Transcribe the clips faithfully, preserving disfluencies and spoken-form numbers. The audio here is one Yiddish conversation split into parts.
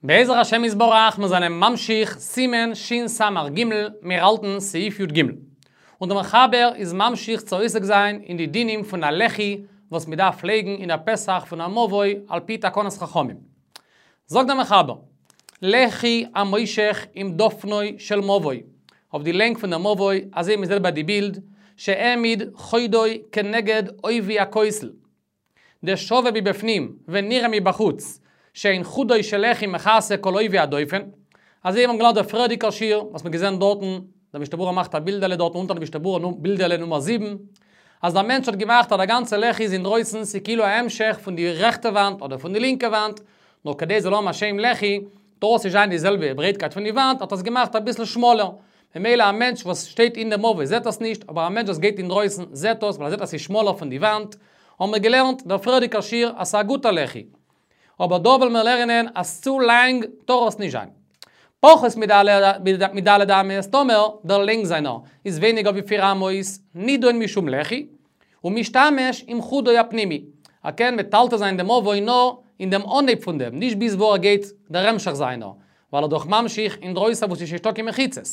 בעזר השם יתברך, מיר זענען ממשיך סימן שס"ג, מיר האלטן סעיף י"ג. און דער מחבר איז ממשיך צו עוסק זיין אין די דינים פון א לחי וואס מען דארף לייגן אין א פתח פון א מבוי על פי תקנת חכמים. זאגט דער מחבר, לחי המושך עם דופנו של מבוי, אויף די לענג פון דער מבוי, אזוי ווי מען זעט ביי די בילד, שהעמיד חודו כנגד עובי הכותל. דשווה מבפנים ונראה מבחוץ, שאין חודו של לחי מכסה כל עובי הדופן. אזוי ווי מ'האט געלערנט דער פריערדיגער שיעור, וואס מ'האט געזען דארטן, דער משנה ברורה מאכט א בילדעלע דארטן אונטער דער משנה ברורה בילדעלע נומער זיבן, אז דער מענטש האט געמאכט אז דער גאנצער לחי איז אינדרויסן, ס'איז כאילו א המשך פון די רעכטע וואנט אדער פון די לינקע וואנט, נאר כדי ס'זאל האבן א שם לחי, טאר עס נישט זיין די זעלבע ברייטקייט פון די וואנט, האט ער עס געמאכט אביסל שמאלער. ממילא א מענטש וואס שטייט אין די מבוי זעט עס נישט, אבער א מענטש וואס גייט אינדרויסן זעט עס, ווייל ער זעט אז ס'איז שמאלער פון די וואנט. האבן מיר געלערנט דער פריערדיגער שיעור אז ס'איז א גוטער לחי. אבער דא וועלן מיר לערנען אז צו לאנג טאר עס נישט זיין. פחות מד' אמות, טאמער דער לענג זיינער איז ווייניגער ווי פיר אמות, נידון משום לחי, ומשתמש עם חודו הפנימי. ער קען מטלטל זיין דעם מבוי נאר אין דעם אנהייב פון דעם, נישט ביז וואו ער גייט דער המשך זיינער, ווייל ער איז דאך ממשיך אינדרויסן וואו ס'איז נישטא קיין מחיצות.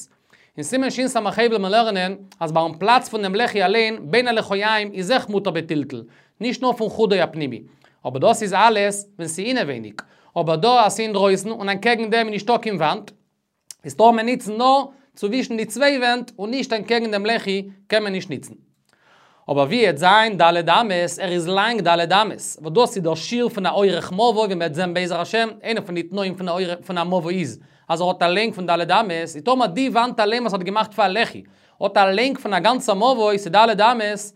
אין סימן שס"ה וועלן מיר לערנען אז ביים פלאץ פון דעם לחי אליין, בין הלחיים, איז אויך מותר בטלטול, נישט נאר פון חודו הפנימי. אבער דאס איז אלעס ווען ס'איז אינעווייניג. אבער דא אז ס'איז אינדרויסן און אנטקעגן דעם איז נישטא קיין וואנט, איז טאר מען ניצן נאר צווישן די צוויי ווענט און נישט אנטקעגן דעם לחי קען מען נישט ניצן. אבער ווי עט זיין ד' אמות, ער איז לאנג ד' אמות, וואס דאס איז דער שיעור פון א אורך מבוי ווי מ'וועט זען בעזר השם, איינע פון די תנאים פון א פון א מבוי איז אז ער האט א לענג פון ד' אמות, איז טאמער די וואנט אליין וואס האט געמאכט פאר א לחי האט א לענג פון א גאנצע מבוי, ס'איז ד' אמות,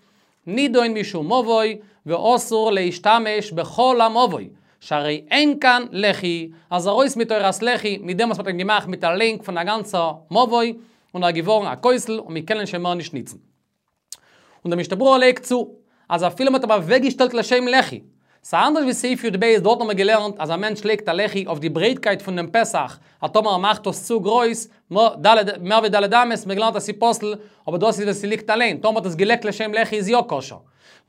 נידון משום מבוי, ואסור להשתמש בכל המבוי, שהרי אין כאן לחי, אז ארויס מתורת לחי, מיט דעם וואס מ'האט אים געמאכט מיט א לענג פון א גאנצע מבוי, און ער איז געווארן א כותל און מ'קען אים שוין מער נישט ניצן. און דער משנה ברורה לייגט צו, אז אפילו מ'האט אים אוועקגעשטעלט לשם לחי, ס'איז אנדערש ווי סעיף י"ב, דארט האבן מיר געלערנט אז א מענטש לייגט א לחי אויף די ברייטקייט פון דעם פתח, אז טאמער ער מאכט עס צו גרויס, מער ווי ד' אמות, מיר געלערנט אז ס'איז פסול, אבער דאס איז ווען ס'ליגט אליין, טאמער מ'האט עס געלייגט לשם לחי איז יא כשר.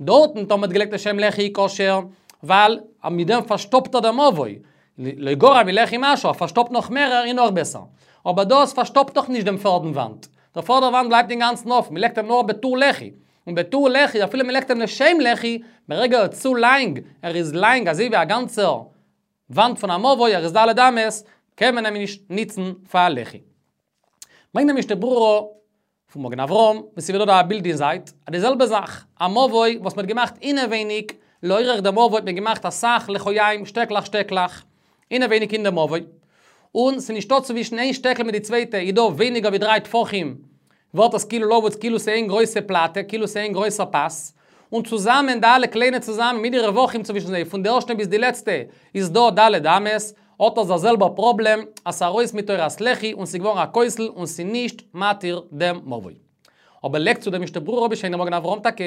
דארטן טאמער מ'האט געלייגט לשם לחי איז כשר, ווייל מיט דעם פארשטאפט ער דעם מבוי, לא גרע מלחי משהו, ער פארשטאפט נאך מערער איז נאך בעסער. אבער דאס פארשטאפט דאך נישט דעם פערדן וואנט. דער פערדער וואנט בלייבט אינגאנצן אפן, מ'לייגט אים נאר בתור לחי. און בתור לחי, אפילו מ'לייגט אים לשם לחי, ברגע ער איז צו לאנג, ער איז לאנג אזוי ווי א גאנצער וואנט פון א מבוי, ער איז ד' אמות, קען מען אים נישט ניצן פאר א לחי. ברענגט דער משנה ברורה פון מגן אברהם, ווי ס'ווערט דא א בילד אין זייט, אז די זעלבע זאך, א מבוי וואס מ'האט געמאכט אינעווייניג, לאורך דער מבוי האט מען געמאכט אסאך לחיים, שטעקלעך שטעקלעך, אינעווייניג אין דער מבוי, און ס'איז נישטא צווישן איין שטעקל מיט די צווייטע איז דא ווייניגער ווי דריי טפחים, ווערט עס כאילו לבוץ כאילו ס'איז איין גרויסע פלאטע, כאילו ס'איז איין גרויסער פאס, און צוזאמען די אלע קליינע צוזאמען מיט די רווחים צווישן זיי פון די ערשטע ביז די לעצטע איז דא ד' אמות, האט עס דער זעלבער פראבלעם אז ס'איז ארויס מתורת לחי און ס'איז געווארן א כותל און ס'איז נישט מתיר דעם מבוי. אבער לייגט צו דער משנה ברורה בשם דעם מגן אברהם טאקע,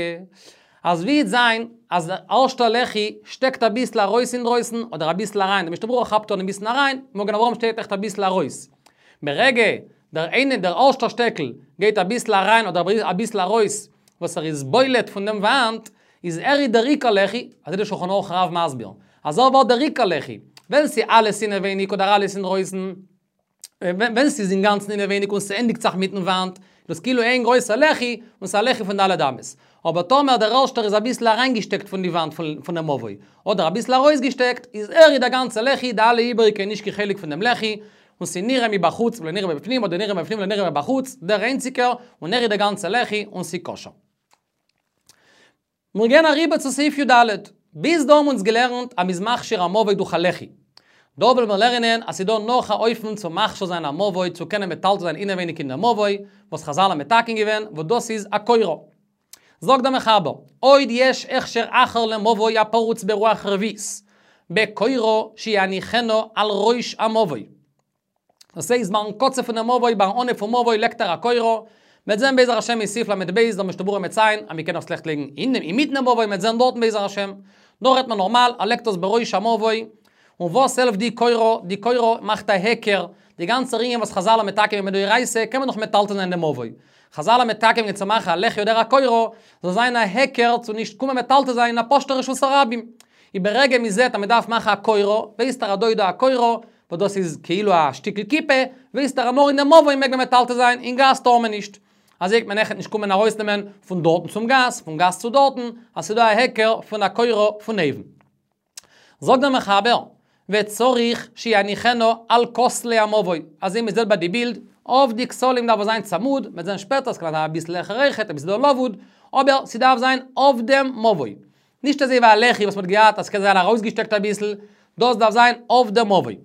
אז ווי וועט זיין אז דער ערשטער לחי שטעקט אביסל ארויס אינדרויסן אדער אביסל אריין, דער משנה ברורה כאפט אן אביסל אריין, מגן אברהם שטייט עכט אביסל ארויס. ברגע דער איינער דער ערשטער שטעקל גייט אביסל אריין אדער אביסל ארויס וואס ער איז בולט פון דעם וואנט, איז ער איז דער עיקר לחי, אזוי דער שולחן ערוך הרב מסביר, אז ער ווערט דער עיקר לחי, ווען ס'איז אלעס אינעווייניג אדער אלעס אינדרויסן, ווען ס'איז אינגאנצן אינעווייניג און ס'ענדיגט זיך מיטן וואנט, איז דאס כאילו איין גרויסער לחי, און ס'איז א לחי פון ד' אמות. אבער טאמער דער ערשטער איז אביסל אריינגעשטעקט פון די וואנט פון דעם מבוי, אדער אביסל ארויסגעשטעקט, איז ער איז דער גאנצער לחי, די אלע איבעריגע איז נישט קיין חלק פון דעם לחי, און ס'איז נראה מבחוץ ולא נראה מבפנים, אדער נראה מבפנים ולא נראה מבחוץ, דער איינציגער, און ער איז דער גאנצער לחי, און ס'איז כשר. מיר גייען אריבער צו סעיף י"ד. ביז דא האבן אונז געלערנט אז מ'איז מכשיר א מבוי דורך א לחי. דא וועלן מיר לערנען אז ס'איז דא נאך א אופן צו מכשיר זיין א מבוי צו קענען מטלטל זיין אינעווייניג אין דער מבוי, וואס חזל האבן מתקן געווען, וואס דאס איז א קורה. זאגט דער מחבר, עוד יש הכשר אחר למבוי הפרוץ ברוח רביעית, בקורה שיניחנה על ראש המבוי. דאס הייסט ביים קצה פונעם מבוי, ביים אנהייב פון מבוי לייגט ער א קורה, מ'וועט זען בעזר השם אין סעיף ל"ב דער משנה ברורה מציין אז מ'קען אויך שלעכט לייגן אינמיטן דעם מבוי, מ'וועט זען דארטן בעזר השם, דא רעדט מען נארמאל, ער לייגט עס בראש המבוי, און וואס העלפט די קורה, די קורה מאכט א היכר, די גאנצע ענין וואס חזל האבן מתקן געווען מדאורייתא קען מען נאך מטלטל זיין דעם מבוי, חזל האבן מתקן געווען צו מאכן א לחי אדער א קורה, זאל זיין א היכר צו נישט קומען מטלטל זיין אין א פשוט'ע רשות הרבים. איז ברגע מ'זעט אז מ'דארף מאכן א קורה, ווייסט ער אז דא איז דא א קורה, וואס דאס איז כאילו א שטיקל כיפה, ווייסט ער נאר אין דעם מבוי מעג מען מטלטל זיין, אין גאס טאר מען נישט. אז איך מען נעכט נישט קומען ארויסנעמען פון דארטן צום גאס, פון גאס צו דארטן, אז ס'דא א היכר פון א קורה פון אויבן. זאגט דער מחבר, וצריך שיניחנו על כותלי המבוי. אז אם מ'זעט ביי די בילד, אויף די כתלים דארף עס זיין צמוד, מ'וועט זען שפעטער, ס'קען זיין אביסל העכער אויכעט, אביסל לבוד, אבער ס'דארף זיין אויף דעם מבוי. נישט אזוי ווי א לחי וואס מ'האט געהאט, אז ס'קען זיין ארויסגעשטעקט אביסל, דאס דארף זיין אויף דעם מבוי.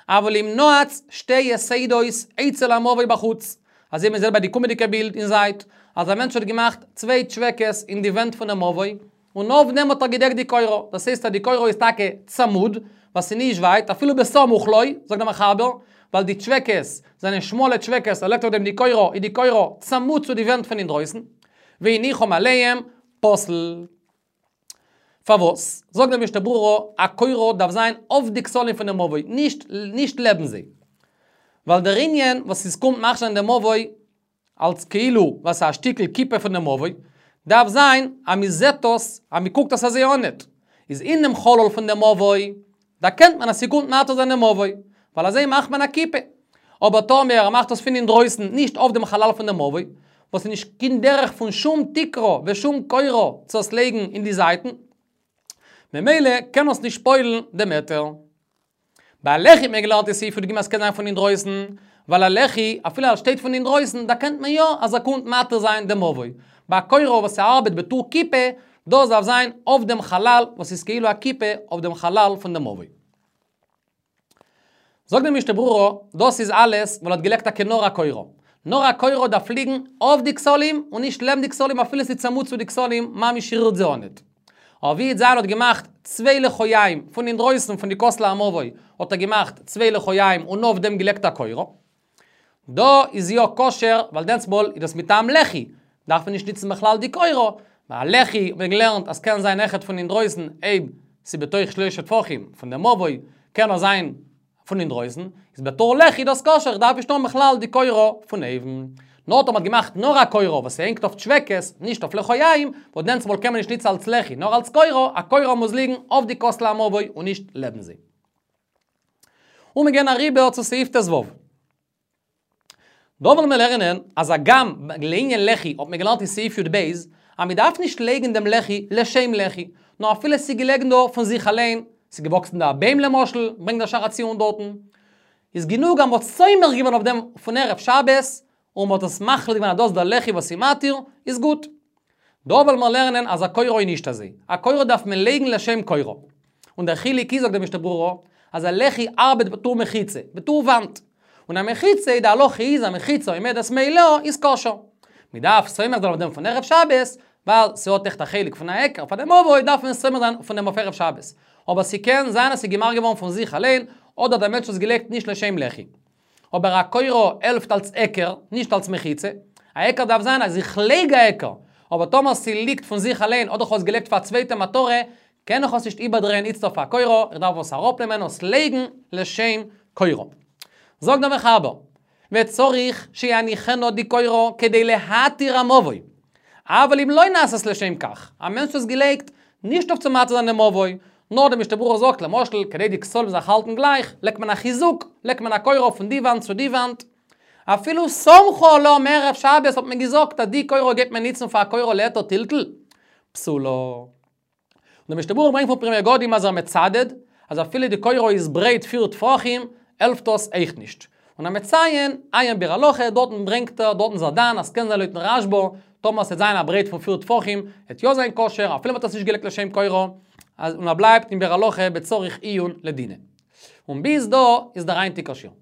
אבל אם נעץ שתי יתדות אצל המבוי בחוץ. אזוי מ'זעט ביי די קומענדיגע בילד אין זייט, אז א מענטש האט געמאכט צוויי טשוועקעס אין די ווענט פון דעם מבוי, און אויף דעם האט ער געדעקט די קורה. דאס הייסט אז די קורה איז טאקע צמוד, וואס איז נישט ווייט, אפילו בסמוך לו, זאגט דער מחבר, ווייל די טשוועקעס זענען שמאלע טשוועקעס, ער לייגט אויף דעם די קורה, איז די קורה צמוד צו די ווענט פון אינדרויסן, והניחם עליהם פסול. פארוואס? זאגט דער משנה ברורה, א קורה דארף זיין אויף די כתלים פון דעם מבוי, נישט, נישט לעבן זיי. ווייל דער ענין וואס עס קומט מאכן דעם מבוי אלס כאילו וואס א שטיקל כיפה פון דעם מבוי, דארף זיין אז מ'זעט דאס, אז מ'קוקט דאס אזוי אנעט. איז אין דעם חלל פון דעם מבוי, דערקענט מען אז ס'קומט מתיר זיין דעם מבוי, ווייל אזוי מאכט מען א כיפה. אבער טאמער ער מאכט דאס פון אינדרויסן, נישט אויף דעם חלל פון דעם מבוי, וואס איז נישט קיין דרך פון שום תקרה ושום קורה צו עס לייגן אין די זייטן, ממילא קען עס נישט פועל'ן דעם היתר. ביי א לחי האט מען געלערנט אין סעיף י"ג אז ס'קען זיין פון אינדרויסן, ווייל א לחי, אפילו ער שטייט פון אינדרויסן, דערקענט מען יא אז ער קומט מתיר זיין דעם מבוי. ביי א קורה וואס ארבעט בתור כיפה, דאס דארף זיין אויף דעם חלל וואס איז כאילו א כיפה אויף דעם חלל פון דעם מבוי. זאגט דער משנה ברורה, דאס איז אלעס ווייל ער האט געלייגט טאקע נאר א קורה. נאר א קורה דארף ליגן אויף די כתלים און נישט לעבן די כתלים אפילו ס'איז צמוד צו די כתלים ממש רירט זיי אנעט. אבער ווי איז זיין האט געמאכט צוויי לחיים פון אינדרויסן פון די כותלי המבוי האט ער געמאכט צוויי לחיים און אויף דעם געלייגט א קורה. דא איז יא כשר, ווייל דענסמאל איז דאס מטעם לחי, דארף מען נישט ניצן בכלל די קורה, ווייל לחי האט מען געלערנט אז קען זיין אויכעט פון אינדרויסן אויב ס'איז בתוך שלושה טפחים פון דעם מבוי, קען ער זיין פון אינדרויסן, איז בתור לחי דאס כשר, איך דארף נישט האבן בכלל די קורה פון אויבן. נאר טאמער מ'האט געמאכט נאר א קורה וואס הענגט אויף טשוועקעס, נישט אויף לחיים, וואס דענסמאל קען מען נישט ניצן אלס לחי, נאר אלס קורה, א קורה מוז ליגן אויף די כותלי המבוי און נישט לעבן זיי. און מיר גייען אריבער צו סעיף ט"ו. דא וועלן מיר לערנען אז הגם לענין לחי האט מען געלערנט אין סעיף י"ב אז מען דארף נישט לייגן דעם לחי לשם לחי, נאר אפילו ס'איז געלעגן דא פון זיך אליין, ס'איז געוואקסן דא א ביים למשל, ברענגט דער שער הציון דארטן, איז גענוג אז מ'האט סומך געווען אויף דעם פון ערב שבת, און מ'האט עס מחליט געווען אז דאס איז דער לחי וואס איז מתיר, איז גוט. דא וועלן מיר לערנען אז א קורה איז נישט אזוי. א קורה דארף מען לייגן לשם קורה. און דער חילוק איז, זאגט דער משנה ברורה, אז א לחי ארבעט בתור מחיצה, בתור וואנט. און א מחיצה, די הלכה איז א מחיצה עומדת מאליה איז כשר. מ'דארף סומך זיין אויף דעם פון ערב שבת, ווייל ס'האט עכט א חלק פון א היכר פאר דעם מבוי דארף מען סומך זיין פון דעם אויף ערב שבת. אבער ס'קען זיין אז ס'איז געמאכט געווארן פון זיך אליין, אדער דער מענטש האט עס געלייגט נישט לשם לחי. אבער א קורה העלפט אלס היכר, נישט אלס מחיצה. א היכר דארף זיין אז איך לייג א היכר, אבער טאמער ס'ליגט פון זיך אליין אדער כ'האב עס געלייגט פאר א צווייטע מטרה, קען איך עס נישט איבערדרייען איצט אויף א קורה, איך דארף עס אראפנעמען און עס לייגן לשם קורה. זאגט דער מחבר, וצריך שיניחנה די קורה כדי להתיר המבוי. אבל אם לא נעשית לשם כך, א מענטש האט עס געלייגט נישט אויף צו מתיר זיין דעם מבוי, נאר דער משנה ברורה זאגט למשל כדי די כתלים זיך האלטן גלייך, לייגט מען א חיזוק, לייגט מען א קורה פון די וואנט צו די וואנט. אפילו סמכו עליה מערב שבת האט מען געזאגט אז די קורה גייט מען ניצן פאר א קורה להיתר טלטול. פסולה. און דער משנה ברורה ברענגט פון פרי מגדים אז ער מצדד אז אפילו די קורה איז ברייט פיר טפחים, העלפט דאס אויך נישט. און ער מציין, עיין ביאור הלכה, דארטן ברענגט ער, דארטן איז ער דן, אז ס'קען זיין לויטן רשב"א, טאמער ס'עט זיין א ברייט פון פיר טפחים, עט יא זיין כשר, אפילו מ'האט עס נישט געלייגט לשם קורה, און ער בלייבט אין ביאור הלכה בצריך עיון לדינא. און ביז דא איז דער היינטיגער שיעור.